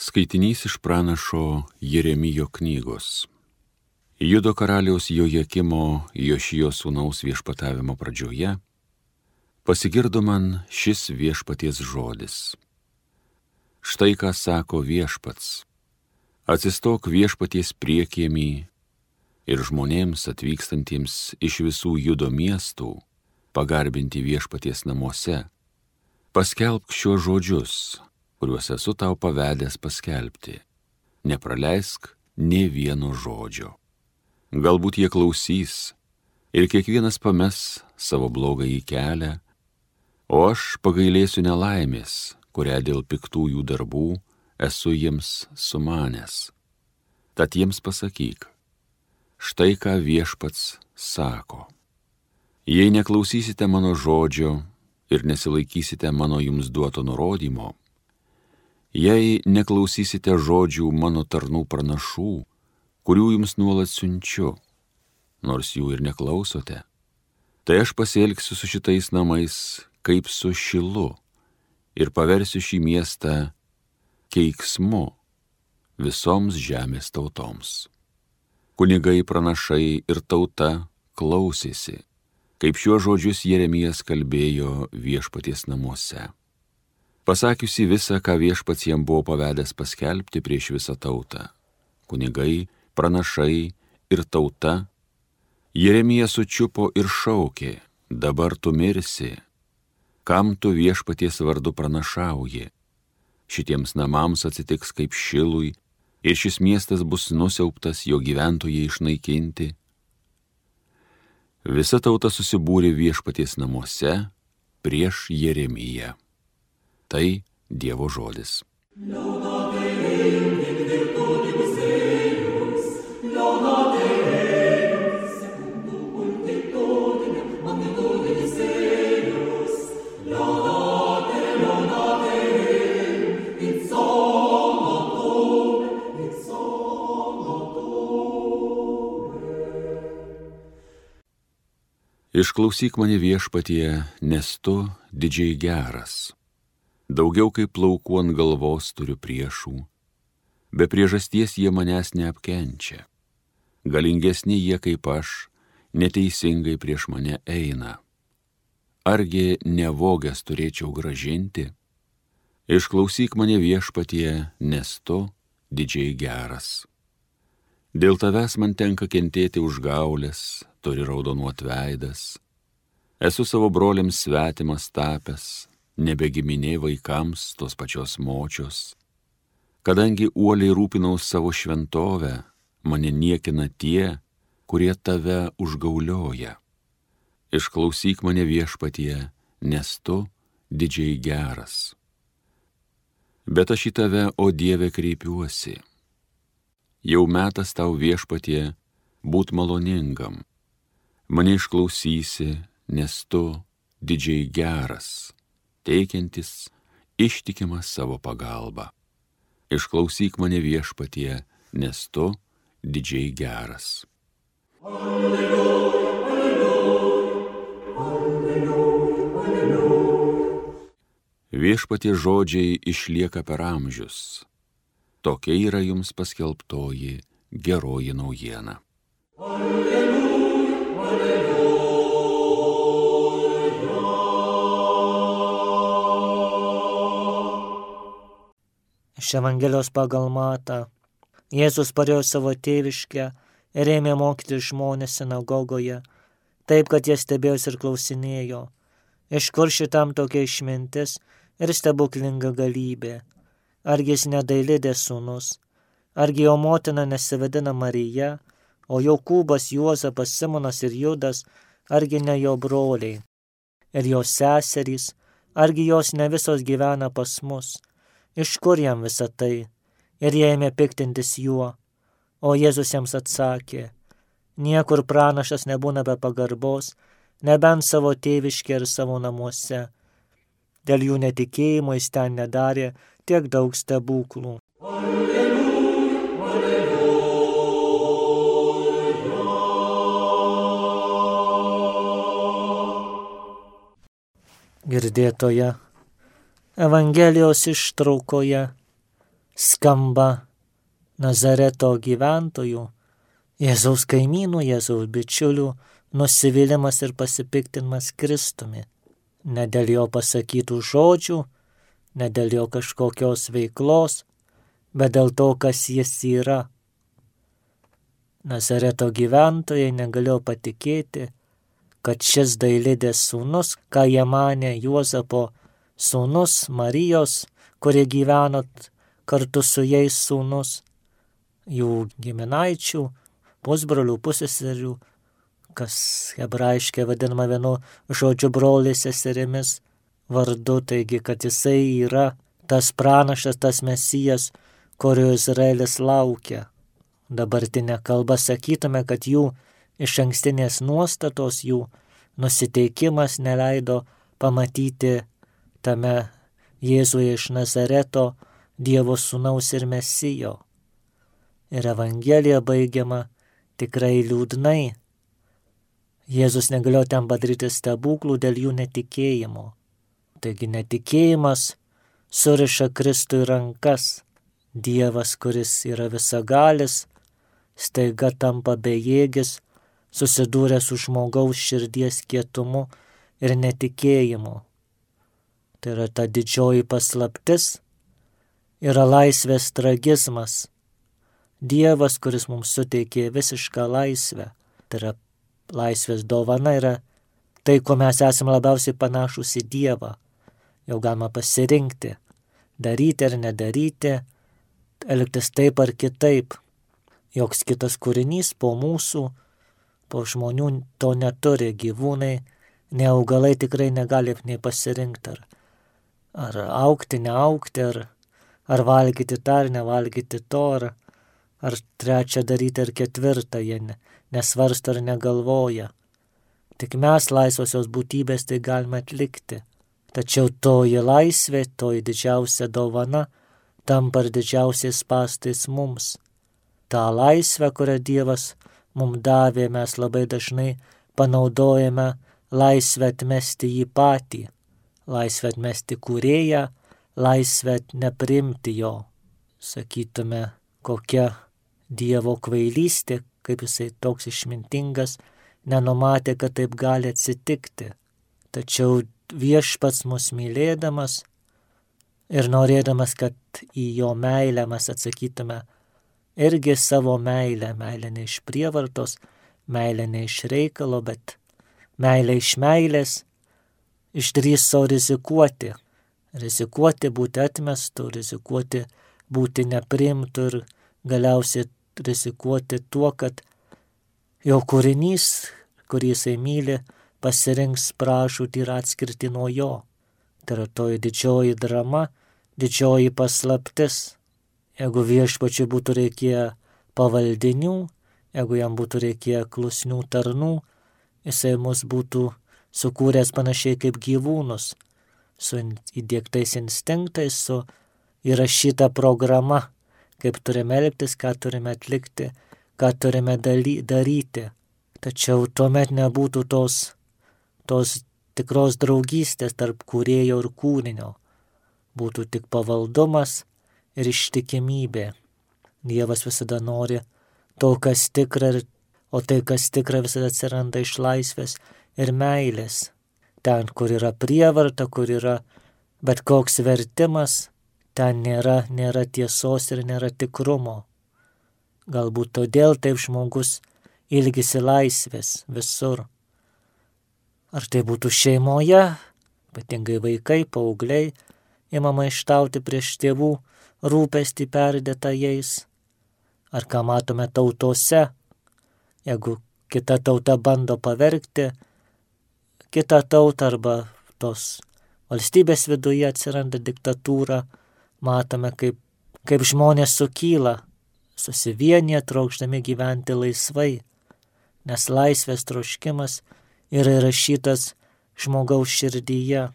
Skaitinys iš pranašo Jeremijo knygos. Judo karaliaus Jojakimo Jošijo sūnaus viešpatavimo pradžioje pasigirdo man šis viešpaties žodis. Štai ką sako viešpats: atsistok viešpaties priekiemį ir žmonėms atvykstantiems iš visų Judo miestų pagarbinti viešpaties namuose, paskelbk šiuos žodžius, kuriuos esu tau pavedęs paskelbti. Nepraleisk nė vieno žodžio. Galbūt jie klausys ir kiekvienas pames savo blogąjį kelią, o aš pagailėsiu nelaimės, kurią dėl piktųjų darbų esu jiems sumanęs. Tad jiems pasakyk, štai ką viešpats sako. Jei neklausysite mano žodžio ir nesilaikysite mano jums duoto nurodymo, jei neklausysite žodžių mano tarnų pranašų, kurių jums nuolat siunčiu, nors jų ir neklausote, tai aš pasielgsiu su šitais namais kaip su Šilu ir paversiu šį miestą keiksmu visoms žemės tautoms. Kunigai, pranašai ir tauta klausėsi, kaip šiuos žodžius Jeremijas kalbėjo viešpaties namuose. Pasakiusi visą, ką viešpats jam buvo pavedęs paskelbti prieš visą tautą, kunigai, pranašai ir tauta, Jeremija sučiupo ir šaukė: dabar tu mirsi, kam tu viešpaties vardu pranašauji? Šitiems namams atsitiks kaip Šilui ir šis miestas bus nusiaubtas, jo gyventojai išnaikinti. Visa tauta susibūrė viešpaties namuose prieš Jeremiją. Tai Dievo žodis. Išklausyk mane viešpatie, nes tu didžiai geras. Daugiau kaip plaukų ant galvos turiu priešų, be priežasties jie manęs neapkenčia. Galingesni jie kaip aš, neteisingai prieš mane eina. Argi nevogęs turėčiau grąžinti? Išklausyk mane viešpatie, nes tu didžiai geras. Dėl tavęs man tenka kentėti užgaulės, turi raudonuot veidas. Esu savo broliams svetimas tapęs, nebegiminė vaikams tos pačios močios. Kadangi uoliai rūpinaus savo šventovę, mane niekina tie, kurie tave užgaulioja. Išklausyk mane viešpatie, nes tu didžiai geras. Bet aš į tave, o Dieve, kreipiuosi. Jau metas tau viešpatie būt maloningam. Mane išklausysi, nes tu didžiai geras, teikiantis ištikimą savo pagalbą. Išklausyk mane viešpatie, nes tu didžiai geras. Alleluja, alleluja, alleluja, alleluja. Viešpatie žodžiai išlieka per amžius. Tokia yra jums paskelbtoji geroji naujiena. Alleluja, alleluja. Iš Evangelijos pagal Matą. Jėzus parėjo savo tėviškę ir ėmė mokyti žmones sinagogoje, taip, kad jie stebėjosi ir klausinėjo, iš kur šitam tokia išmintis ir stebuklinga galybė. Argi jis ne Dailidės sūnus, argi jo motina nesivadina Marija, o Jokūbas, Juozapas, Simonas ir Judas, argi ne jo broliai, ir jos seserys, argi jos ne visos gyvena pas mus? Iš kur jam visa tai? Ir jie ėmė piktintis juo. O Jėzus jiems atsakė: niekur pranašas nebūna be pagarbos, nebent savo tėviškė ir savo namuose. Dėl jų netikėjimo jis ten nedarė tiek daug stebuklų. Alleluja, alleluja. Girdėtoje Evangelijos ištraukoje skamba Nazareto gyventojų, Jėzaus kaimynų, Jėzaus bičiulių nusivylimas ir pasipiktinimas Kristumi. Ne dėl jo pasakytų žodžių, ne dėl jo kažkokios veiklos, bet dėl to, kas jis yra. Nazareto gyventojai negalėjo patikėti, kad šis Dailidės sūnus, ką jie manė Juozapo sūnus, Marijos, kurie gyveno kartu su jais sūnus, jų giminaičių, pusbrolių, pusseserių, kas hebrajiškai vadinama vienu žodžiu broliais seserimis vardu, taigi, kad jisai yra tas pranašas, tas Mesijas, kurio Izraelis laukia. Dabartinė kalba sakytume, kad jų išankstinės nuostatos, jų nusiteikimas neleido pamatyti tame Jėzuje iš Nazareto Dievo sūnaus ir Mesijo. Ir Evangelija baigiama tikrai liūdnai. Jėzus negalėjo ten padaryti stebuklų dėl jų netikėjimo. Taigi netikėjimas suriša Kristui rankas. Dievas, kuris yra visagalis, staiga tampa bejėgis, susidūrė su žmogaus širdies kietumu ir netikėjimu. Tai yra ta didžioji paslaptis, yra laisvės tragizmas. Dievas, kuris mums suteikė visišką laisvę, tai yra laisvės dovana, yra tai, ko mes esame labiausiai panašus į Dievą. Jau galima pasirinkti, daryti ar nedaryti, elgtis taip ar kitaip. Joks kitas kūrinys po mūsų, po žmonių to neturi, gyvūnai, ne augalai tikrai negali nei pasirinkti, ar augti, neaugti, ar valgyti tą, ar nevalgyti to, ar trečią daryti, ar ketvirtą, jie nesvarsto ar negalvoja. Tik mes, laisvosios būtybės, tai galime atlikti. Tačiau toji laisvė, toji didžiausia dovana, tampa ir didžiausiais spąstais mums. Ta laisvė, kurią Dievas mums davė, mes labai dažnai panaudojame laisvę atmesti jį patį, laisvę atmesti kūrėją, laisvę nepriimti jo. Sakytume, kokia Dievo kvailystė, kaip jisai toks išmintingas, nenumatė, kad taip gali atsitikti. Tačiau Viešpats mus mylėdamas ir norėdamas, kad į jo meilę mes atsakytume irgi savo meilę, meilę ne iš prievartos, meilę ne iš reikalo, bet meilę iš meilės, išdrįso rizikuoti būti atmestu, rizikuoti būti nepriimtu ir galiausiai rizikuoti tuo, kad jo kūrinys, kurį jisai myli, pasirinks pražūtį ir atskirti nuo jo. Tai yra toji didžioji drama, didžioji paslaptis. Jeigu Viešpačiui būtų reikėję pavaldinių, jeigu jam būtų reikėję klusnių tarnų, jisai mus būtų sukūręs panašiai kaip gyvūnus, su įdiegtais instinktais, su įrašyta programa, kaip turime elgtis, ką turime atlikti, ką turime daryti. Tačiau tuomet nebūtų tos tikros draugystės tarp kūrėjo ir kūrinio. Būtų tik pavaldumas ir ištikimybė. Dievas visada nori to, kas tikra, o tai, kas tikra, visada atsiranda iš laisvės ir meilės. Ten, kur yra prievarta, kur yra bet koks vertimas, ten nėra tiesos ir nėra tikrumo. Galbūt todėl taip žmogus ilgisi laisvės visur. Ar tai būtų šeimoje, ypatingai vaikai, paaugliai, ima maištauti prieš tėvų rūpestį perdėtą jais. Ar ką matome tautose, jeigu kita tauta bando pavergti kitą tautą arba tos valstybės viduje atsiranda diktatūra, matome, kaip žmonės sukyla, susivienyje trokšdami gyventi laisvai, nes laisvės troškimas yra įrašytas žmogaus širdyje.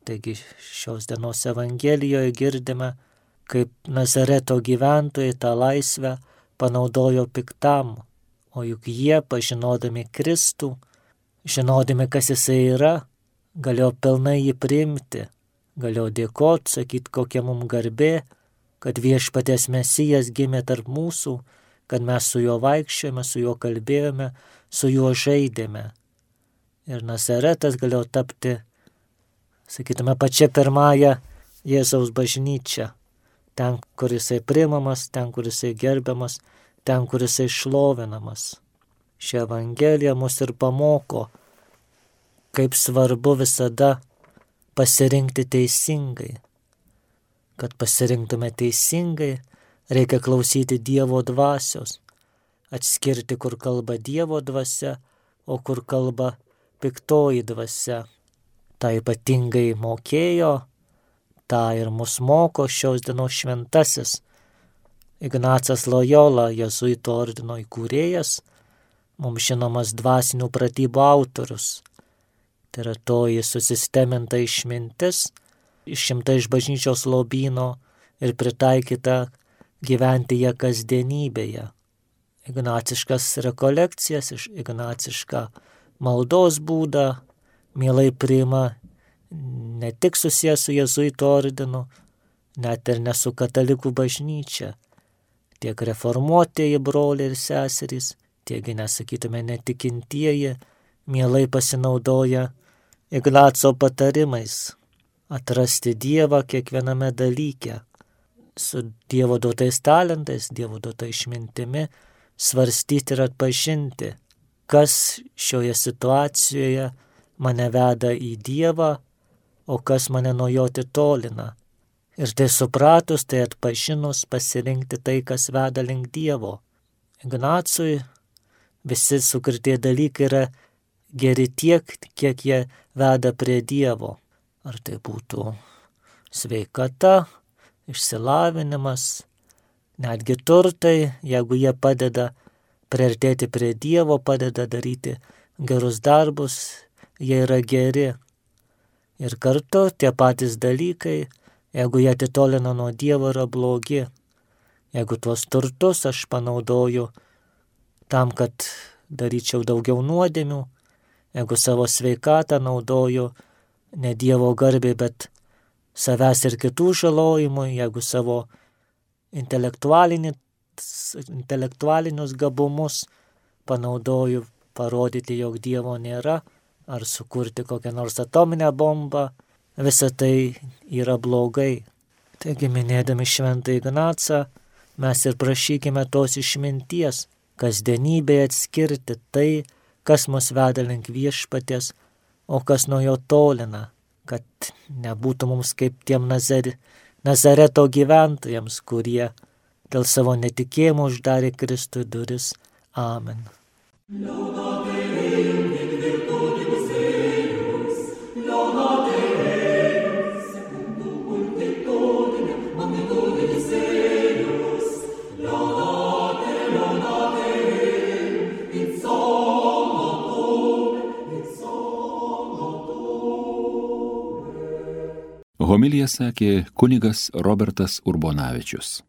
Taigi šios dienos Evangelijoje girdime, kaip Nazareto gyventojai tą laisvę panaudojo piktam, o juk jie, pažinodami Kristų, žinodami, kas jisai yra, galėjo pilnai jį priimti, galėjo dėkoti, sakyti, kokia mums garbė, kad viešpaties Mesijas gimė tarp mūsų, kad mes su juo vaikščiojame, su juo kalbėjome, su juo žaidėme. Ir Nazaretas galėjo tapti, sakytume, pačia pirmąja Jėzaus bažnyčia. Ten, kur jisai priimamas, ten, kur jisai gerbiamas, ten, kur jisai šlovinamas. Ši Evangelija mus ir pamoko, kaip svarbu visada pasirinkti teisingai. Kad pasirinktume teisingai, reikia klausyti Dievo dvasios, atskirti, kur kalba Dievo dvasia, o kur kalba piktoji dvasia. Ta ypatingai mokėjo, tą ir mus moko šios dienos šventasis Ignacas Lojola, Jėzuitų ordino įkūrėjas, mums žinomas dvasinių pratybų autorius. Tai yra toji susisteminta išmintis, išimta iš bažnyčios lobyno ir pritaikyta gyventi ją kasdienybėje. Ignaciškas rekolekcijas, ignacišką maldos būdą mielai priima ne tik susijęs su Jėzuitų ordinu, net ir ne su katalikų bažnyčia. Tiek reformuotieji broliai ir seserys, tiek, nesakytume, netikintieji, mielai pasinaudoja Ignaco patarimais atrasti Dievą kiekviename dalyke, su Dievo duotais talentais, Dievo duota išmintimi, svarstyti ir atpažinti, kas šioje situacijoje mane veda į Dievą, o kas mane nuo jo atitolina. Ir tai supratus, tai atpažinus, pasirinkti tai, kas veda link Dievo. Ignacui visi sukurtie dalykai yra geri tiek, kiek jie veda prie Dievo. Ar tai būtų sveikata, išsilavinimas, netgi turtai, jeigu jie padeda priartėti prie Dievo, padeda daryti gerus darbus, jie yra geri. Ir kartu tie patys dalykai, jeigu jie atitolina nuo Dievo, yra blogi. Jeigu tuos turtus aš panaudoju tam, kad daryčiau daugiau nuodėmių, jeigu savo sveikatą naudoju ne Dievo garbei, bet savęs ir kitų žalojimui, jeigu savo intelektualinius gabumus panaudoju parodyti, jog Dievo nėra, ar sukurti kokią nors atominę bombą, visa tai yra blogai. Taigi, minėdami šventą Ignacą, mes ir prašykime tos išminties, kasdienybėje atskirti tai, kas mus veda link viešpaties, o kas nuo jo tolina, kad nebūtų mums kaip tiem Nazareto gyventojams, kurie dėl savo netikėjimo uždarė Kristui duris. Amen. Homiliją sakė kunigas Robertas Urbonavičius.